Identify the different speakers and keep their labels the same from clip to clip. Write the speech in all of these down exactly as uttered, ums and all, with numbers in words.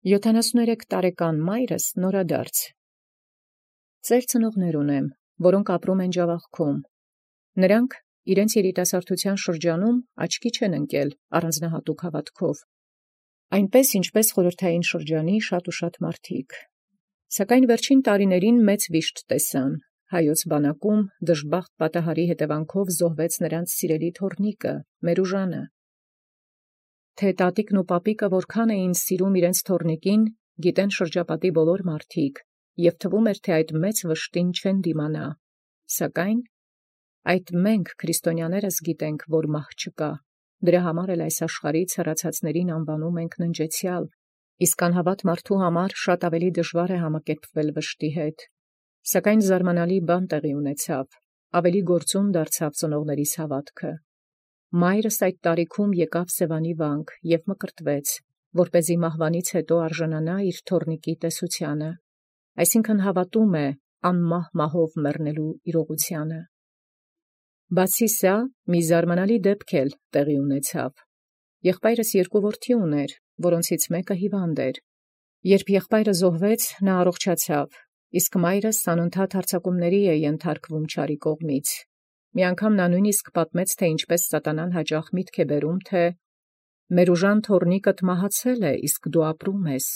Speaker 1: յոթանասուներեք տարեկան մայրս նորադարձ։ Ծեր ծնողներ ունեմ, որոնք ապրում են Ջավախքում։ Նրանք իրենց երիտասարդության շրջանում աչքի չեն ընկել առանձնահատուկ հավատքով, այնպես ինչպես խորհրդային շրջանի շատ ու շատ մարդիկ։ Սակայն վերջին տարիներին մեծ վիշտ տեսան, հայոց բանակում դժբախտ պատահարի հետևանքով զոհվեց նրանց սիրելի թոռնիկը, Մերուժանը։ Թե տատիկն ու պապիկը որքան էին սիրում իրենց թոռնիկին, գիտեն շրջապատի բոլոր մարդիկ, և թվում էր, թե այդ մեծ վշտին չեն դիմանա։ Սակայն այդ մենք քրիստոնյաներս գիտենք, որ մահ չկա, դրա համար էլ այս աշխարհից հեռացածներին անվանում ենք ննջեցյալ, իսկ անհավատ մարդու համար շատ ավելի դժվար է համակերպվել վշտի հետ։ Սակայն զարմանալի բան տեղի ունեցավ, ավելի գործուն դարձավ ծնողներիս հավատքը։ Մայրս այդ տարիքում եկավ Սևանի վանք և մկրտվեց, որպեսզի մահվանից հետո արժանանա իր թոռնիկի տեսությանը, այսինքն հավատում է անմահ մահով մեռնելու իրողությանը։ Բացի սա, մի զարմանալի դեպք էլ տեղի ունեցավ։ Եղբայրս երկու որդի ուներ, որոնցից մեկը հիվանդ էր։ Երբ եղբայրը զոհվեց, նա առողջացավ, իսկ մայրս անընդհատ հարձակումների է ենթարկվում չարի կողմից։ Մի անգամ նա նույնիսկ պատմեց, թե ինչպես սատանան հաճախ միտք է բերում, թե Մերուժան թոռնիկդ մահացել է, իսկ դու ապրում ես,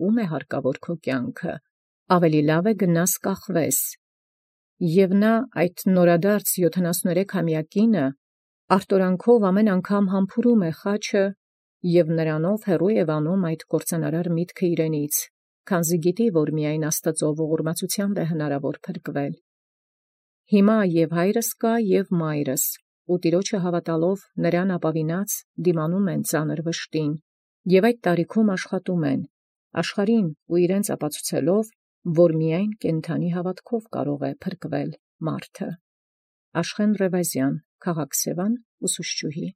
Speaker 1: ո՞ւմ է հարկավոր քո կյանքը, ավելի լավ է գնաս կախվես։ Եվ նա այդ նորադարձ յոթանասուներեքամյա կինը արտորանքով ամեն անգամ համբուրում է խաչը և նրանով հեռու է վանում այդ կործանարար միտքը իրենից, քանզի գիտի, որ միայն Աստծո ողորմածությամբ է հնարավոր փրկվել։ Հիմա և հայրս կա, և մայրս, ու Տեառնէ հավատալով նրան ապավինած դիմանում են ծանր վշտին, և այդ տարիքում աշխատում են, աշխարհին ու իրենց ապացուցելով, որ միայն կենդանի հավատքով կարող է փրկվել մարդը։ Աշխեն Ռևազյան, քաղաք Սևան, ուսուցչուհի։